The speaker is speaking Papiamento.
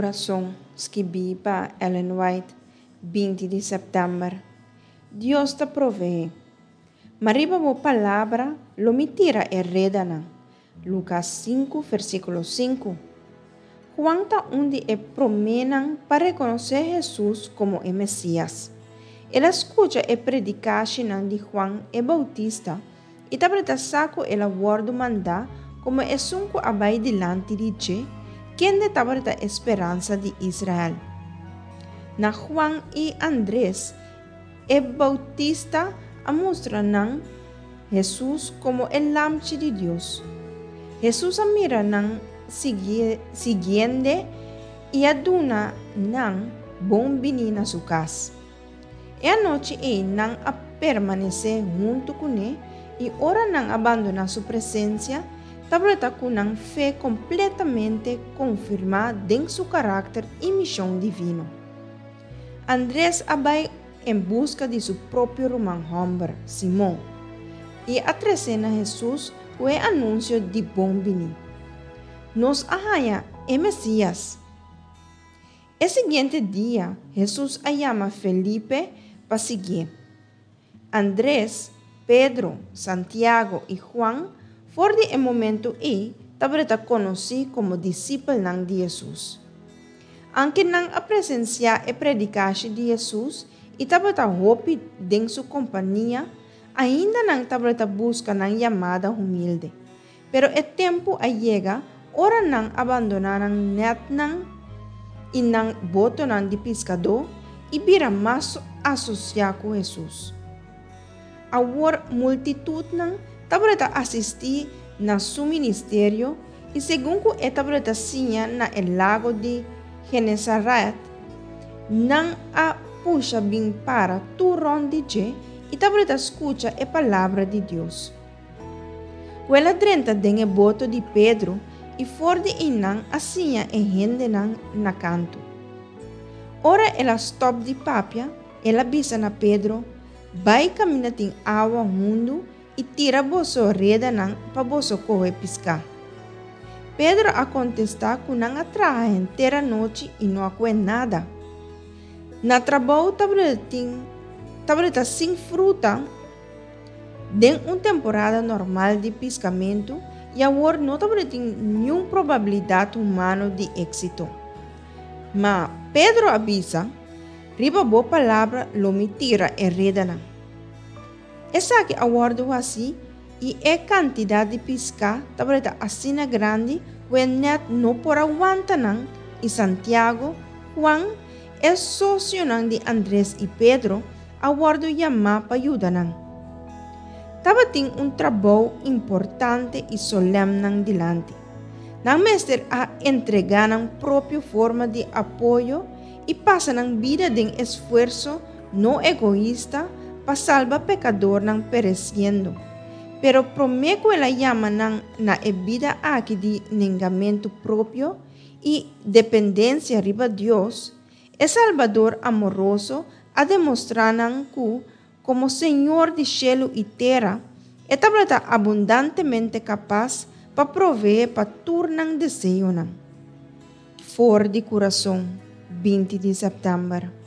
Kurason, skibí pa Ellen White, 20 di sèptèmber. Dios ta proveé. Ma riba bo palabra lo mi tira e redanan. Lukas 5, versíkulo 5. Juan ta un di e proménan pa rekonosé Hesus komo e Mesias. El a skucha e predikashinan di Juan e Boutista i tabata sa ku el a wòrdu mandá komo esun ku a bai dilanti di dje, kende tabata e speransa di Israel. Na Juan i Andres, e Boutista a mustra nan Hesus komo e Lamchi di Dios. Hesus a mira nan siguiend'e i a duna nan bon biní na su kas. E anochi ei nan a permanesé huntu kuné i ora nan a bandoná su presensia, tabata ku nan fe kompletamente konfirmá den su karakter i mishon divino. Andres a bai en buska di su propio ruman hòmber, Simon, i a tres'é na Hesus ku e anunsio di bon biní, Nos a haña e Mesías! E siguiente dia, Hesus a yama Felipe pa siguié. Andres, Pedro, Santiago i Juan for di e momentu ei tabata konosí komo disipelnan di Hesus. Anke nan a presensiá e predikashi di Hesus i tabata hopi den su kompania, ainda nan tabata buska nan yamada humilde. Pero e tempu a yega ora nan a bandoná nan nètnan i nan botonan di piskadó i bira mas asosiá ku Hesus. Awor multitutnan tabata asistí na su ministerio i segun ku e tabata siña na e lago di Genesaret, nan a pusha bin para tur rònt di dje i tabata skucha e palabra di Dios. Ku el a drenta den e boto di Pedro i for di einan a siña e hendenan na kantu. Ora el a stòp di papia, el a bisa na Pedro, Bai kaminda tin awa hundu i tira boso redanan pa boso kohe piská. Pedro a kontestá ku nan a traha henter anochi i no a kohe nada. Na trabou tabata sin fruta. Den un temporada normal di piskamentu i awor no tabatin niun probabilidat humano di éksito. Ma Pedro a bisa, Riba bo palabra lo mi tira e redanan. Esaki a wòrdu hasí i e kantidat di piská tabata asina grandi ku e nèt no por a wanta nan i Santiago, Juan, e sosionan di Andres i Pedro, a wòrdu yamá pa yuda nan. Tabatin un trabou importante i solèm nan dilanti. Nan mester a entregá nan propio forma di apoyo i pasa nan bida den esfuerso no egoista pa salba pekadornan peresiendo. Pero promé ku el a yama nan na e bida aki di nengamentu propio i dependensia riba Dios, E Salbador amoroso a demostrá nan ku, komo Señor di shelu i tera, e tabata abundantemente kapas pa proveé pa tur nan deseonan. For di kurason, 20 di sèptèmber.